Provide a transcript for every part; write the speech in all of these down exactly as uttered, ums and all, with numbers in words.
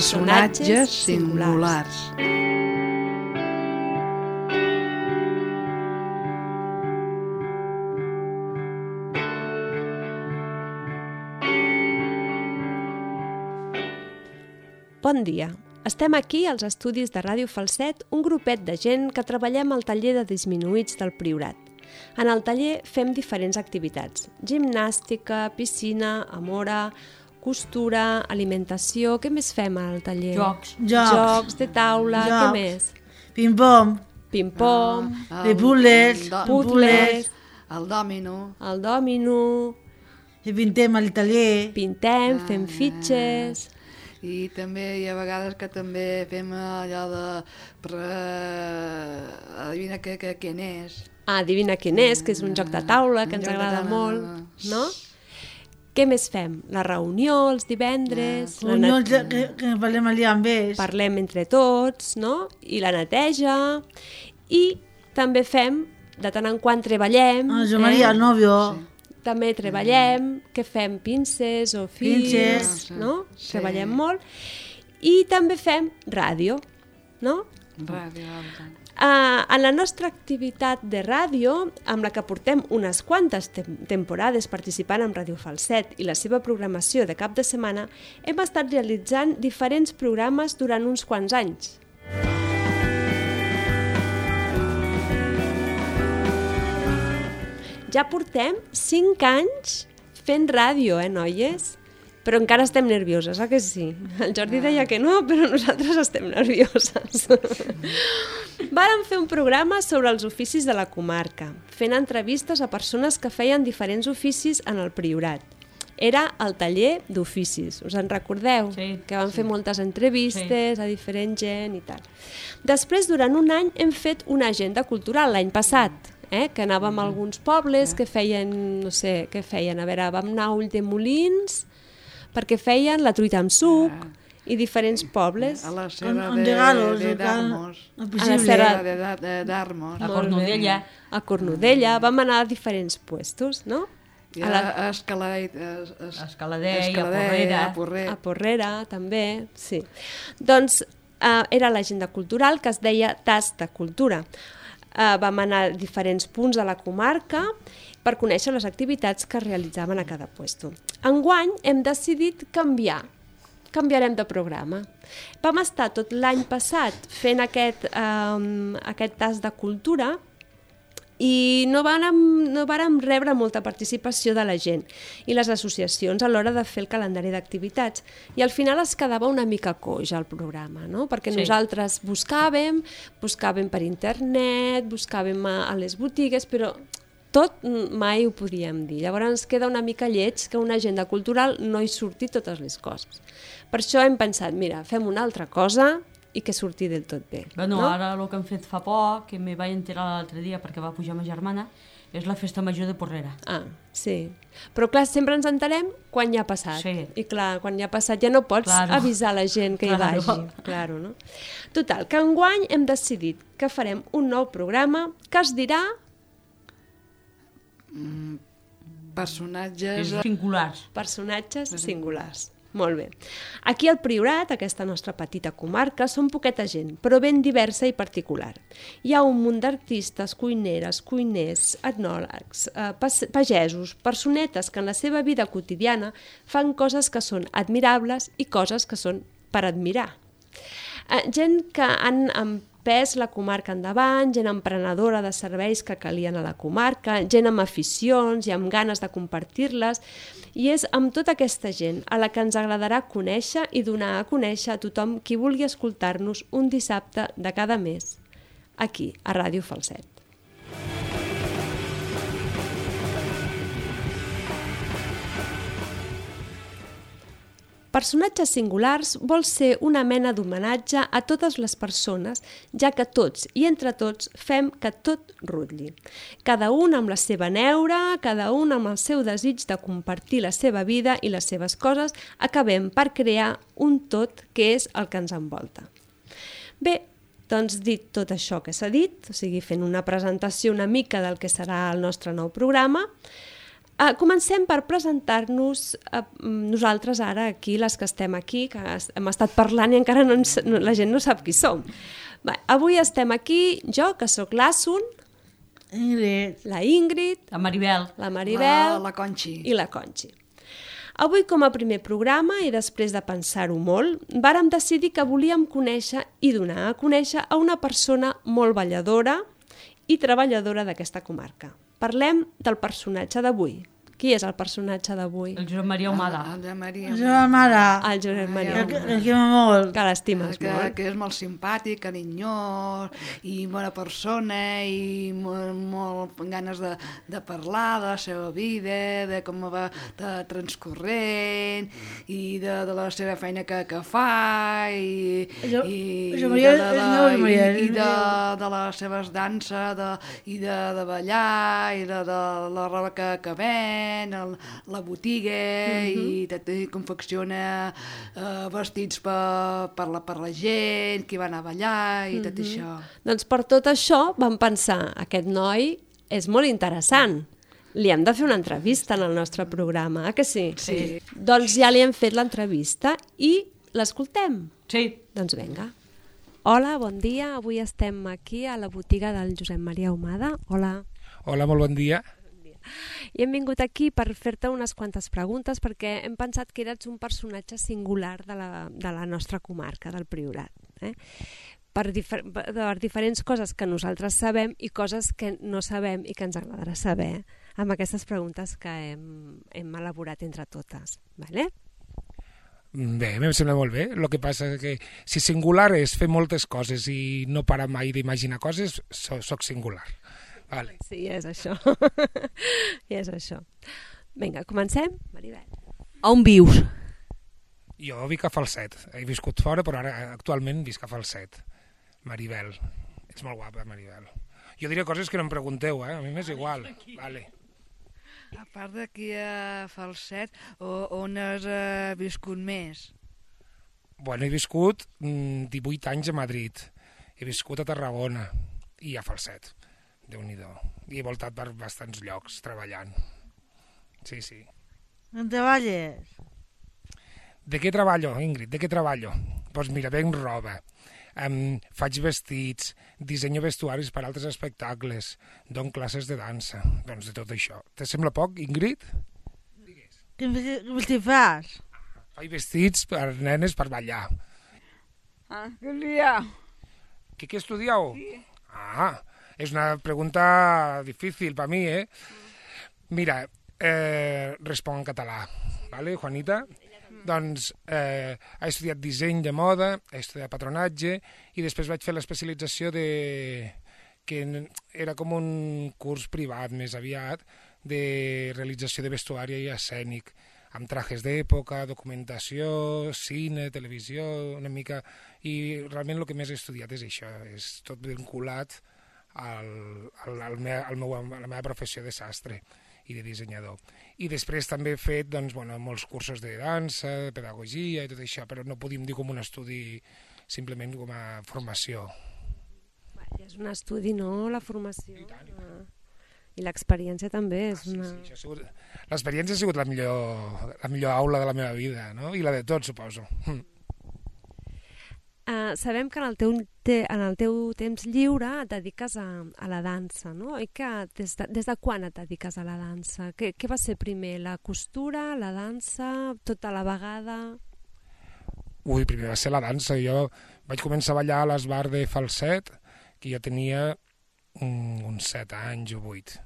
Personatges singulars. Bon dia. Estem aquí als estudis de Ràdio Falset, un grupet de gent que treballem al taller de disminuïts del Priorat. En el taller fem diferents activitats: gimnàstica, piscina, amora, costura, alimentació... Què més fem al taller? Jocs. Jocs, Jocs de taula, Jocs. Què més? Ping-pong. Ping-pong, Ah, De puzzles. el do- puzzles, El dòmino. el dòmino, I pintem al taller. pintem, fem fitxes... I també hi ha vegades que també fem allò de... Per, uh, adivina què, què, què n'és. Ah, adivina quin és, que és un joc de taula que Un ens joc de agrada taula. molt, no? Què més fem? La reunió, els divendres... la Reunions net- que, que parlem allà amb ells. Parlem entre tots, no? I la neteja. I també fem, de tant en quant treballem... Ah, Jo Maria, el nòvio. També treballem, que fem pinces o fils, Pinces. no? Sí. Treballem molt. I també fem ràdio, no? Ràdio, alta. Uh, en la nostra activitat de ràdio, amb la que portem unes quantes tem temporades participant en Ràdio Falset i la seva programació de cap de setmana, hem estat realitzant diferents programes durant uns quants anys. Ja portem cinc anys fent ràdio, eh, noies? Però encara estem nervioses, eh que sí? El Jordi deia que no, però nosaltres estem nervioses. Vàrem fer un programa sobre els oficis de la comarca, fent entrevistes a persones que feien diferents oficis en el Priorat. Era el taller d'oficis, us en recordeu? Sí, que vam fer moltes entrevistes a diferent gent i tal. Després, durant un any, hem fet una agenda cultural l'any passat, eh? que anàvem a alguns pobles que feien, no sé, què feien? A veure, vam anar a Ulldemolins, perquè feien la truita amb suc i diferents pobles. A la Con, serra con de, regalos. de el cal- Darmos. el A la possible. serra- De, de, de Darmos. A Cornudella. A Cornudella, vam anar a diferents puestos, no? I A a, la, a Escaladell, es, es, A Escaladell, a Escaladell, Porrera. a Porrer. a Porrera, també, sí. Doncs eh, era l'agenda cultural que es deia Tas de Cultura. Eh, vam anar a diferents punts de la comarca per conèixer les activitats que es realitzaven a cada puesto. Enguany hem decidit canviar, canviarem de programa. Vam estar tot l'any passat fent aquest, eh, aquest tas de cultura i no vàrem, no vàrem rebre molta participació de la gent i les associacions a l'hora de fer el calendari d'activitats. I al final es quedava una mica coix el programa, no? Perquè Sí. nosaltres buscàvem, buscàvem per internet, buscàvem a, a les botigues, però tot mai ho podíem dir. Llavors ens queda una mica lleig que una agenda cultural no hi surti totes les coses. Per això hem pensat, mira, fem una altra cosa i que surti del tot bé. Bueno, no? ara el que hem fet fa poc, que me vaig enterar l'altre dia perquè va pujar ma germana, és la festa major de Porrera. Ah, sí. Però clar, sempre ens enterem quan ja ha passat. Sí. I clar, quan ja ha passat ja no pots Claro. avisar la gent que hi Claro. vagi. Claro, no? Total, que enguany hem decidit que farem un nou programa que es dirà Personatges... És singulars. Personatges singulars. Molt bé. Aquí al Priorat, aquesta nostra petita comarca, són poqueta gent, però ben diversa i particular. Hi ha un munt d'artistes, cuineres, cuiners, etnòlegs, eh, pas- pagesos, personetes que en la seva vida quotidiana fan coses que són admirables i coses que són per admirar. Eh, gent que han empès la comarca endavant, gent emprenedora de serveis que calien a la comarca, gent amb aficions i amb ganes de compartir-les, i és amb tota aquesta gent a la que ens agradarà conèixer i donar a conèixer a tothom qui vulgui escoltar-nos un dissabte de cada mes, aquí, a Ràdio Falset. Personatges singulars vol ser una mena d'homenatge a totes les persones, ja que tots i entre tots fem que tot rutlli. Cada un amb la seva neura, cada un amb el seu desig de compartir la seva vida i les seves coses, acabem per crear un tot que és el que ens envolta. Bé, doncs dit tot això que s'ha dit, o sigui, fent una presentació una mica del que serà el nostre nou programa, Uh, comencem per presentar-nos uh, nosaltres ara aquí, les que estem aquí, que hem estat parlant i encara no ens, no, la gent no sap qui som. Va, avui estem aquí, jo, que sóc l'Asun, Ingrid. la Ingrid, La Maribel. la Maribel La, la Conxi. i la Conxi. Avui, com a primer programa, i després de pensar-ho molt, vàrem decidir que volíem conèixer i donar a conèixer a una persona molt balladora i treballadora d'aquesta comarca. Parlem del personatge d'avui. Qui és el personatge d'avui? El Josep Maria Humada. El de Maria. La seva mare. El Josep Maria Que, Humada. que m'ha molt. Que l'estimes que, molt. que és molt simpàtic, carinyós i bona persona i molt, molt amb ganes de, de parlar de la seva vida, de com va de transcorrent i de, de la seva feina que, que fa i, Jo- i, jo Maria- de, de, és la, meu, Maria, i, i és de, meu. de les seves danses de, i de, de ballar i de, de la roba que, que ven, el, la botiga i, tot, i confecciona eh, vestits per, per, la, per la gent, qui va anar a ballar i tot això. Doncs per tot això vam pensar, aquest noi és molt interessant. Li hem de fer una entrevista en el nostre programa, eh que sí? Sí. Doncs ja li hem fet l'entrevista i l'escoltem. Sí. Doncs vinga. Hola, bon dia. Avui estem aquí a la botiga del Josep Maria Humada. Hola. Hola, molt bon dia. I hem vingut aquí per fer-te unes quantes preguntes perquè hem pensat que eres un personatge singular de la, de la nostra comarca, del Priorat. Eh? Per, difer per diferents coses que nosaltres sabem i coses que no sabem i que ens agradarà saber amb aquestes preguntes que hem, hem elaborat entre totes. Vale? Bé, em sembla molt bé. El que passa és que si singular és fer moltes coses i no parar mai d'imaginar coses, so, soc singular. Vale. Sí, és això. I és això. Vinga, comencem? Maribel. On vius? Jo vic a Falset. He viscut fora, però ara actualment visc a Falset. Maribel. Ets molt guapa, Maribel. Jo diré coses que no em pregunteu, eh? A mi m'és igual. Vale. A part d'aquí a Falset, o, on has eh, viscut més? Bueno, he viscut mm, divuit anys a Madrid. He viscut a Tarragona i a Falset. Déu-n'hi-do. I he voltat per bastants llocs treballant. Sí, sí. On treballes? De què treballo, Ingrid? De què treballo? Doncs pues mira, venc roba, um, faig vestits, dissenyo vestuaris per altres espectacles, dono classes de dansa, doncs de tot això. Te sembla poc, Ingrid? Quin vestit fas? Faig vestits per nenes per ballar. Ah, què dia? Què, què estudieu? Sí. Ah, és una pregunta difícil per mi, eh? Mira, eh, responc en català, ¿vale, Juanita? Doncs eh, he estudiat disseny de moda, he estudiat patronatge i després vaig fer l'especialització de... que era com un curs privat més aviat de realització de vestuari i escènic, amb trajes d'època, documentació, cine, televisió, una mica... I realment el que més he estudiat és això, és tot vinculat al, al, al me, al meu, a la meva professió de sastre i de dissenyador. I després també he fet doncs, bueno, molts cursos de dansa, de pedagogia i tot això, però no podíem dir com un estudi simplement com a formació. I és un estudi, no?, la formació. I tant, i Ah. I l'experiència també és Ah, sí, una... sí, això ha sigut... L'experiència ha sigut la millor, la millor aula de la meva vida, no? I la de tots, suposo. Hm. Uh, sabem que en el, teu, te, en el teu temps lliure et dediques a, a la dansa, no? I que des de, des de quan et dediques a la dansa? Què, què va ser primer, la costura, la dansa, tota la vegada? Ui, primer va ser la dansa. Jo vaig començar a ballar a l'esbar de Falset, que jo tenia um, uns set anys o vuit.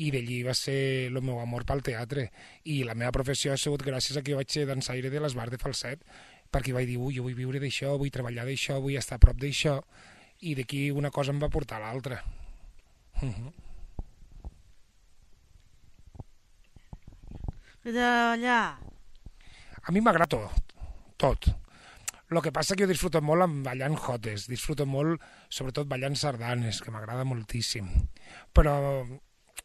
I d'allí va ser el meu amor pel teatre. I la meva professió ha sigut gràcies a que jo vaig ser dansaire de l'esbar de Falset, perquè vaig dir, ui, jo vull viure d'això, vull treballar d'això, vull estar a prop d'això, i d'aquí una cosa em va portar a l'altra. Uh -huh. Que treballar? A mi m'agrada tot, tot. El que passa que jo disfruto molt amb ballant jotes, disfruto molt, sobretot ballant sardanes, que m'agrada moltíssim. Però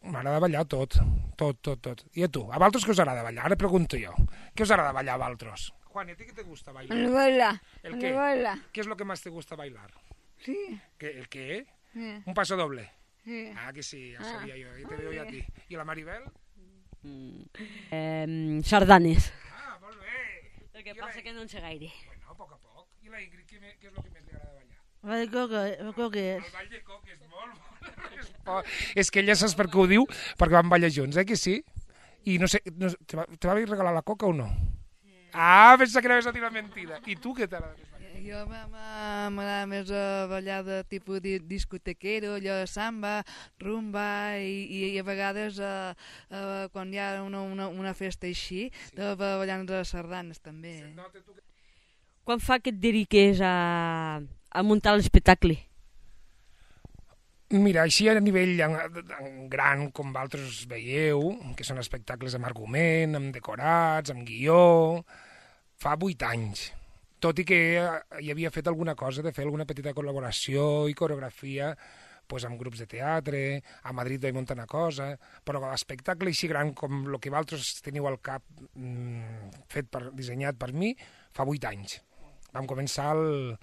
m'agrada ballar tot, tot, tot, tot. I a tu, a vosaltres què us agrada ballar? Ara pregunto jo. Què us agrada ballar a vosaltres? Juan, ¿y a ti qué te gusta bailar? Novela. ¿El qué? Novela. ¿Qué es lo que más te gusta bailar? Sí. ¿Qué, ¿El qué? Sí. Un paso doble. Sí. Ah, que sí, ya Ah. sabía yo. Yo te veo yo a ti. ¿Y la Maribel? Eh, sardanes. Ah, molt bé. El que passa que no en sé gaire. Bueno, a poc a poc. I la Ingrid, què, me- què és el que més li agrada ballar? Va de coca, coques. El ball de coques, molt bo. És que ella saps per què ho diu, perquè van ballar junts, eh, que sí? I no sé, no, sé, te, va, te va regalar la coca o no? Ah, pensa que anaves a dir la mentida. I tu què t'agrada més ballar? Jo m'a- m'a- m'agrada més a ballar de tipus di- discotequero, allò de samba, rumba i, i a vegades eh, eh, quan hi ha una, una, una festa així, de ballar de sardanes també. Nota tu que... Quan fa que et dediques a, a muntar l'espectacle? Mira, així a nivell en, en gran, com vosaltres veieu, que són espectacles amb argument, amb decorats, amb guió, fa vuit anys. Tot i que hi havia fet alguna cosa de fer alguna petita col·laboració i coreografia pues, amb grups de teatre, a Madrid vaig muntar una cosa, però l'espectacle així gran com el que vosaltres teniu al cap mmm, fet per, dissenyat per mi, fa vuit anys. Vam començar el,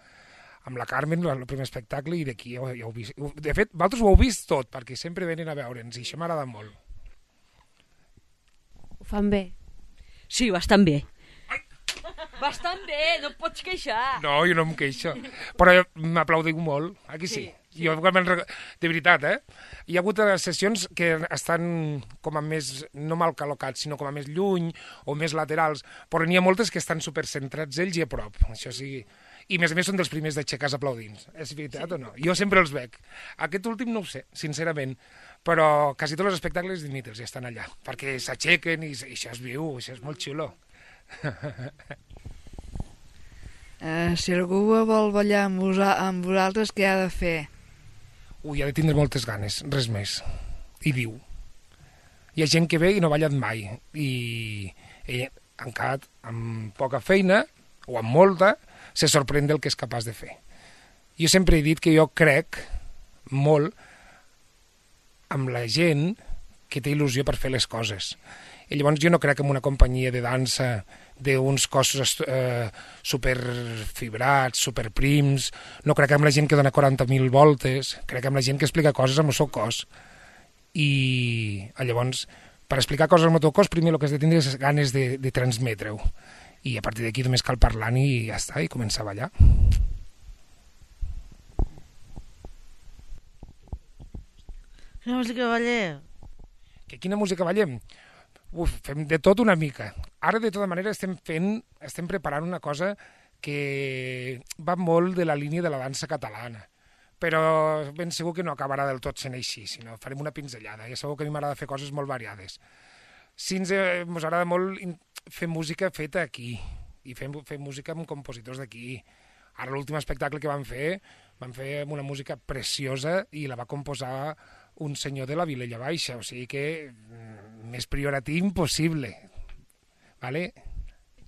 amb la Carmen, el primer espectacle, i d'aquí ja, ja ho heu vist. De fet, vosaltres ho heu vist tot, perquè sempre venen a veure'ns, i això m'agrada molt. Ho fan bé. Sí, bastant bé. Bastant bé, no et pots queixar. No, jo no em queixo, però m'aplaudiu molt, aquí sí. sí. Jo, de veritat, eh? Hi ha hagut sessions que estan com a més, no mal col·locats, sinó com a més lluny o més laterals, però n'hi ha moltes que estan supercentrats ells i a prop, això sí. I a més a més són dels primers d'aixecar aplaudint. És veritat sí. o no? Jo sempre els veig. Aquest últim no ho sé, sincerament, però quasi tots els espectacles d'Inítels ja estan allà, perquè s'aixequen i, i això es viu, això és molt xulo. Eh, si algú vol ballar amb, vosa, amb vosaltres, què ha de fer? Ui, ha de tindre moltes ganes, res més. I viu. Hi ha gent que ve i no ha ballat mai, i ell, encara amb poca feina, o amb molta, se sorprèn del que és capaç de fer. Jo sempre he dit que jo crec molt amb la gent que té il·lusió per fer les coses. I llavors jo no crec en una companyia de dansa d'uns cossos eh, superfibrats, superprims, no crec en la gent que dona quaranta mil voltes, crec en la gent que explica coses amb el seu cos. I llavors, per explicar coses amb el teu cos, primer el que has de tindre és ganes de, de transmetre-ho. I a partir d'aquí només cal parlar i ja està, i començar a ballar. Quina música balleu? Que quina música ballem? Uf, fem de tot una mica. Ara, de tota manera, estem fent, estem preparant una cosa que va molt de la línia de la dansa catalana. Però ben segur que no acabarà del tot sent així, sinó farem una pinzellada. Ja sabeu que a mi m'agrada fer coses molt variades. Sí, ens eh, agrada molt fer música feta aquí, i fer, fer música amb compositors d'aquí. Ara l'últim espectacle que vam fer, vam fer una música preciosa i la va composar un senyor de la Vilella Baixa, o sigui que mm, més prioratiu impossible. Vale?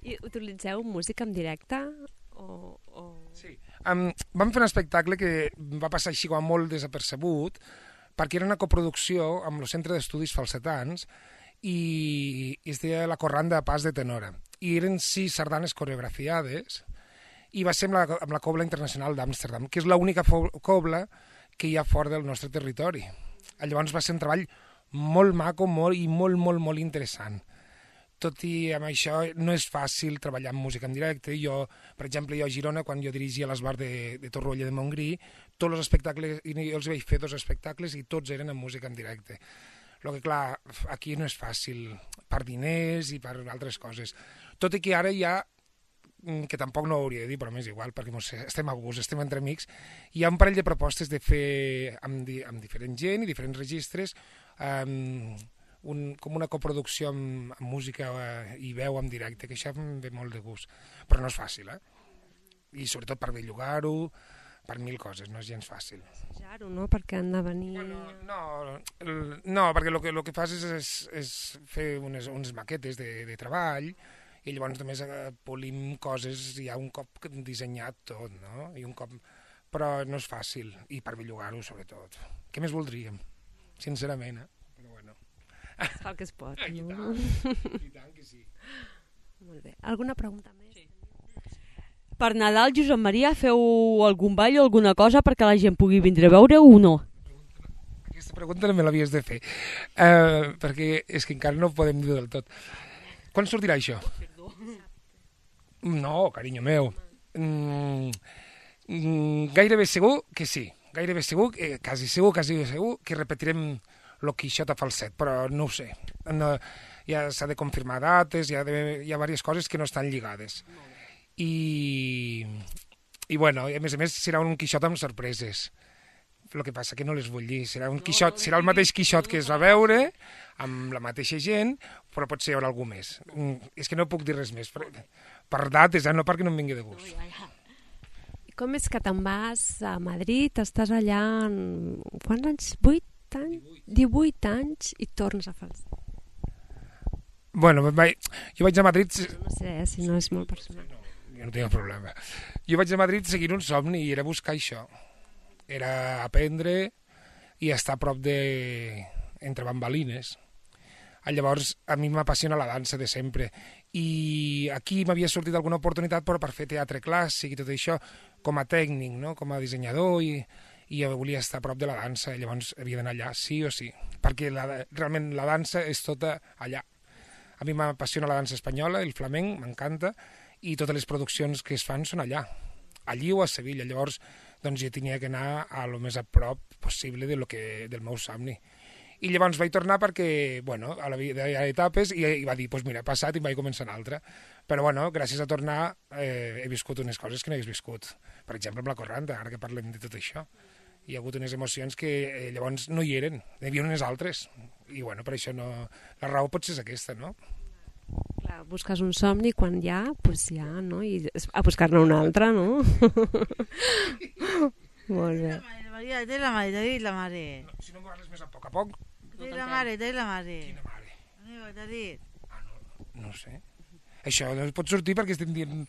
I utilitzeu música en directe? O, o... Sí. Um, vam fer un espectacle que va passar així com molt desapercebut, perquè era una coproducció amb el Centre d'Estudis Falsetans i, i es deia La Corranda de Pas de Tenora. I eren sis sardanes coreografiades i va ser amb la, amb la Cobla Internacional d'Amsterdam, que és l'única cobla que hi ha fora del nostre territori. Llavors va ser un treball molt maco molt, i molt, molt, molt interessant. Tot i amb això no és fàcil treballar amb música en directe. Jo, per exemple, jo a Girona, quan jo dirigia l'esbar de, de Torroella de Montgrí, tots els espectacles, i jo els vaig fer dos espectacles i tots eren amb música en directe. El que, clar, aquí no és fàcil, per diners i per altres coses. Tot i que ara hi ha, que tampoc no ho hauria de dir, però m'és igual, perquè mos, estem a gust, estem entre amics, hi ha un parell de propostes de fer amb, di, amb diferent gent i diferents registres, um, un, com una coproducció amb, amb música uh, i veu en directe, que això em ve molt de gust, però no és fàcil, eh? I sobretot per bellugar-ho, per mil coses, no és gens fàcil. Assajar-ho, no? Perquè han de venir... Bueno, no, el, no, perquè el que, el que fas és, és, és fer unes, unes maquetes de, de treball, i llavors només eh, polim coses ja un cop dissenyat tot, no? I un cop... Però no és fàcil, i per bellugar-ho sobretot. Què més voldríem? Sincerament, eh? Però bueno. Es fa el que es pot, I no? tant, i tant que sí. Molt bé. Alguna pregunta més? Sí. Per Nadal, Josep Maria, feu algun ball o alguna cosa perquè la gent pugui vindre a veure o no? Aquesta aquesta pregunta no me l'havies de fer, uh, perquè és que encara no ho podem dir del tot. Quan sortirà això? No, carinyo meu. Mm, mm, gairebé segur que sí. Gairebé segur, eh, quasi segur, quasi segur, que repetirem lo Quixot a falset, però no ho sé. No, ja s'ha de confirmar dates, hi ha, de, hi ha diverses coses que no estan lligades. I, i bueno, a més a més serà un Quixot amb sorpreses. El que passa que no les vull dir. Serà un Quixot, serà el mateix Quixot que es va veure, amb la mateixa gent, però potser hi haurà algú més. Mm, és que no puc dir res més. Per, per dates, eh? No perquè no em vingui de gust. Com és que te'n vas a Madrid, estàs allà en... quants anys? vuit anys? divuit anys i tornes a falset. Bueno, vaig, jo vaig a Madrid... No sé, eh, si no és molt personal. No, jo no tinc problema. Jo vaig a Madrid seguint un somni i era buscar això. Era aprendre i estar a prop de... entre bambalines. Llavors, a mi m'apassiona la dansa de sempre. I aquí m'havia sortit alguna oportunitat però per fer teatre clàssic i tot això, com a tècnic, no? Com a dissenyador, i, i jo volia estar a prop de la dansa, llavors havia d'anar allà, sí o sí, perquè la, realment la dansa és tota allà. A mi m'apassiona la dansa espanyola, el flamenc, m'encanta, i totes les produccions que es fan són allà, allí o a Sevilla. Llavors, doncs jo tenia que anar a lo més a prop possible de lo que, del meu somni. I llavors vaig tornar perquè, bueno, a la vida hi ha etapes, i, i va dir, doncs pues mira, he passat i vaig començar una altra. Però, bueno, gràcies a tornar eh, he viscut unes coses que no hagués viscut. Per exemple, amb la Corranta, ara que parlem de tot això. Hi ha hagut unes emocions que eh, llavors no hi eren, hi havia unes altres. I, bueno, per això no... La raó potser és aquesta, no? Clar, busques un somni quan hi ha, doncs ja, no? I a buscar-ne un altre, no? Molt bé. Maria, té la mare, té la mare. No, si no m'ho parles més a poc a poc. Té la mare, té la mare. Quina mare? Amigo, t'ha dit. Ah, no, no sé. Això no pot sortir perquè estem dient...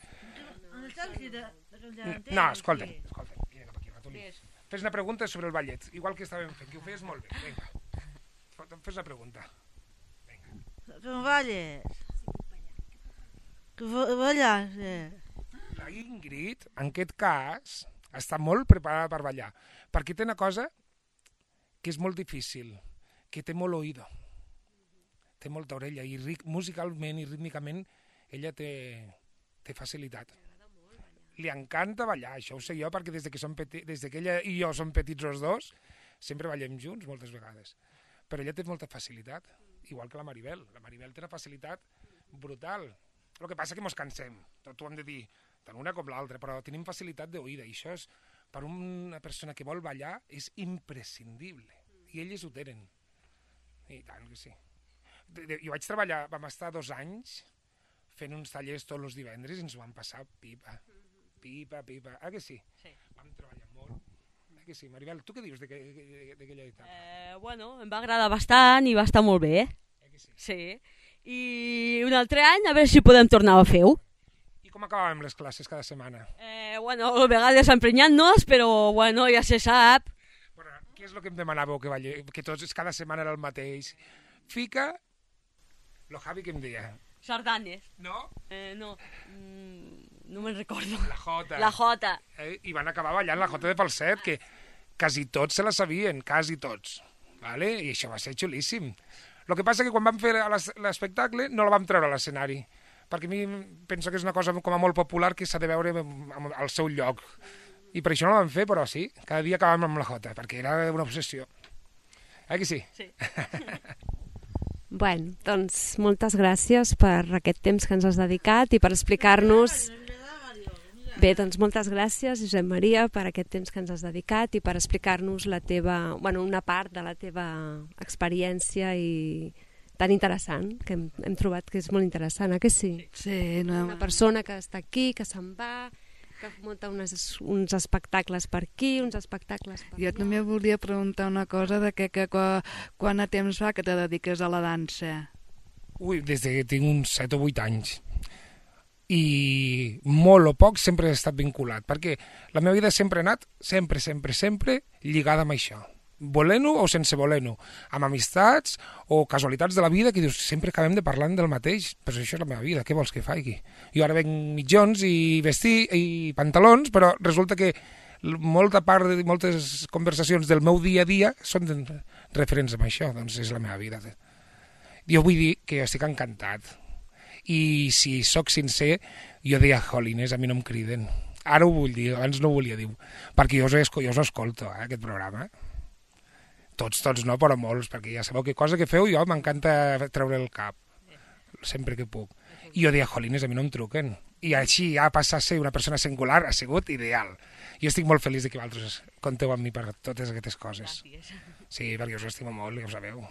On està el que de- de- de- No, escolta, escolta, vine cap aquí, ratolí. Fes una pregunta sobre el ballet, igual que estàvem fent, que ho feies molt bé. Vinga, fes una pregunta. Com balles? Que fa- balles? eh? La Ingrid, en aquest cas, està molt preparada per ballar, perquè té una cosa que és molt difícil, que té molt oïdo, té molta orella, i ric, musicalment i rítmicament ella té, té facilitat. Li encanta ballar, això ho sé jo, perquè des de que, som peti, des de que ella i jo som petits els dos, sempre ballem junts moltes vegades. Però ella té molta facilitat, igual que la Maribel. La Maribel té una facilitat brutal. El que passa que mos cansem, tot ho hem de dir, tant una com l'altra, però tenim facilitat d'oïda, i això és, per una persona que vol ballar, és imprescindible. I elles ho tenen. I tant que sí. De, de, jo vaig treballar, vam estar dos anys fent uns tallers tots els divendres i ens ho vam passar pipa. Pipa, pipa. Ah, que sí? Sí. Vam treballar molt. Ah, que sí? Maribel, tu què dius d'aquella etapa? Eh, bueno, em va agradar bastant i va estar molt bé. Eh que sí? Sí. I un altre any a veure si podem tornar a fer-ho. I com acabàvem les classes cada setmana? Eh, bueno, a vegades emprenyant-nos, però bueno, ja se sap. Bueno, què és el que em demanàveu que ballé? Que tots, cada setmana era el mateix. Fica, lo Javi que em deia. Sardanes. No? Eh, no, mm, no me'n recordo. La Jota. La Jota. Eh? I van acabar ballant la Jota de falset, que quasi tots se la sabien, quasi tots. Vale? I això va ser xulíssim. El que passa que quan vam fer l'espectacle no la vam treure a l'escenari, perquè a mi penso que és una cosa com a molt popular que s'ha de veure al seu lloc. I per això no la vam fer, però sí, cada dia acabàvem amb la Jota, perquè era una obsessió. Eh que sí? Sí. Bueno, doncs moltes gràcies per aquest temps que ens has dedicat i per explicar-nos... Bé, doncs moltes gràcies, Josep Maria, per aquest temps que ens has dedicat i per explicar-nos la teva, bueno, una part de la teva experiència i tan interessant, que hem, hem trobat que és molt interessant, eh que sí? Sí, no... Una persona que està aquí, que se'n va, que munta unes, uns espectacles per aquí, uns espectacles per Jo allà. també volia preguntar una cosa, de que, que, que quant a temps fa que te dediques a la dansa? Ui, des que tinc uns set o vuit anys. I molt o poc sempre he estat vinculat, perquè la meva vida sempre ha anat, sempre, sempre, sempre lligada amb això. Volent-ho o sense voler-ho, amb amistats o casualitats de la vida que dius, sempre acabem de parlant del mateix, però això és la meva vida, què vols que faci? Jo ara venc mitjons i vestir i pantalons, però resulta que molta part de moltes conversacions del meu dia a dia són referents amb això, doncs és la meva vida. Jo vull dir que estic encantat. I si sóc sincer, jo deia, jolines, a mi no em criden. Ara ho vull dir, abans no ho volia dir, perquè jo us, jo us escolto, eh, aquest programa. Tots, tots no, però molts, perquè ja sabeu que cosa que feu jo m'encanta treure el cap, sempre que puc. I jo deia, jolines, a mi no em truquen. I així ja passar a ser una persona singular ha sigut ideal. Jo estic molt feliç de que vosaltres conteu amb mi per totes aquestes coses. Sí, perquè us estimo molt, ja ho sabeu.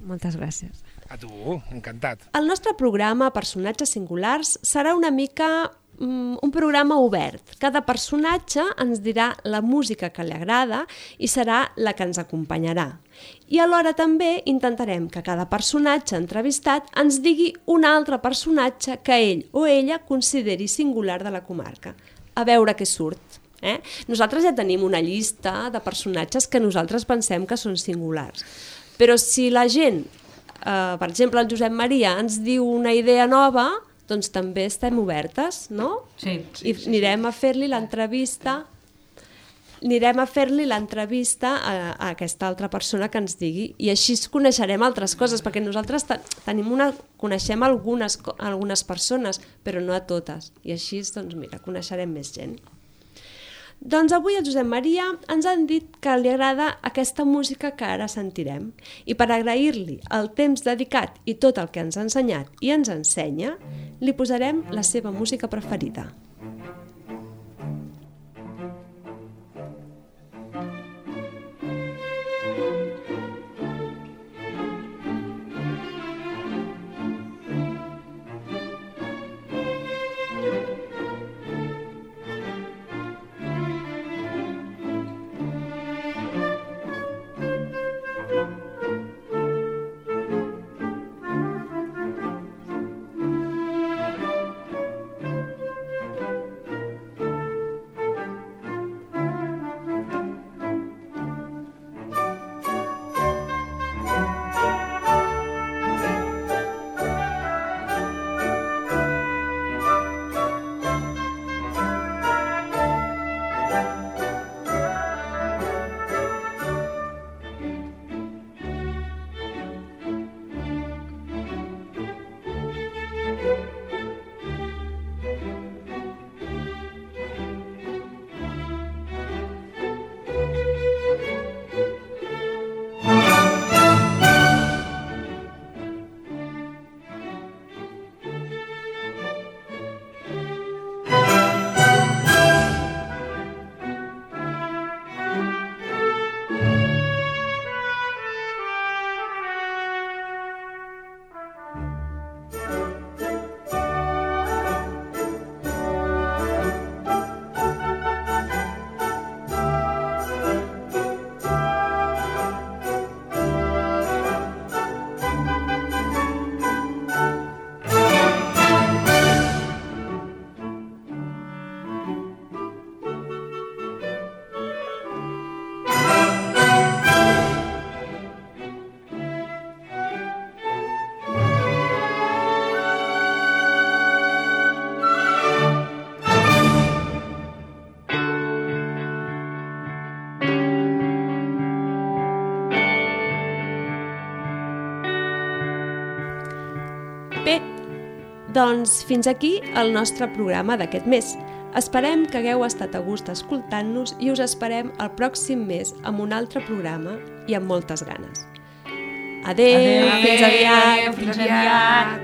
Moltes gràcies. A tu, encantat. El nostre programa Personatges Singulars serà una mica um, un programa obert. Cada personatge ens dirà la música que li agrada i serà la que ens acompanyarà. I alhora també intentarem que cada personatge entrevistat ens digui un altre personatge que ell o ella consideri singular de la comarca. A veure què surt. Eh? Nosaltres ja tenim una llista de personatges que nosaltres pensem que són singulars. Però si la gent, eh, per exemple el Josep Maria, ens diu una idea nova, doncs també estem obertes, no? Sí. I anirem a fer-li l'entrevista anirem a fer-li l'entrevista a, a aquesta altra persona que ens digui, i així coneixerem altres coses, perquè nosaltres tenim una, coneixem algunes, algunes persones, però no a totes, i així doncs, mira, coneixerem més gent. Doncs avui el Josep Maria ens han dit que li agrada aquesta música que ara sentirem, i per agrair-li el temps dedicat i tot el que ens ha ensenyat i ens ensenya, li posarem la seva música preferida. Bé, doncs fins aquí el nostre programa d'aquest mes. Esperem que hagueu estat a gust escoltant-nos i us esperem el pròxim mes amb un altre programa i amb moltes ganes. Adéu, Adéu, fins aviat! fins aviat.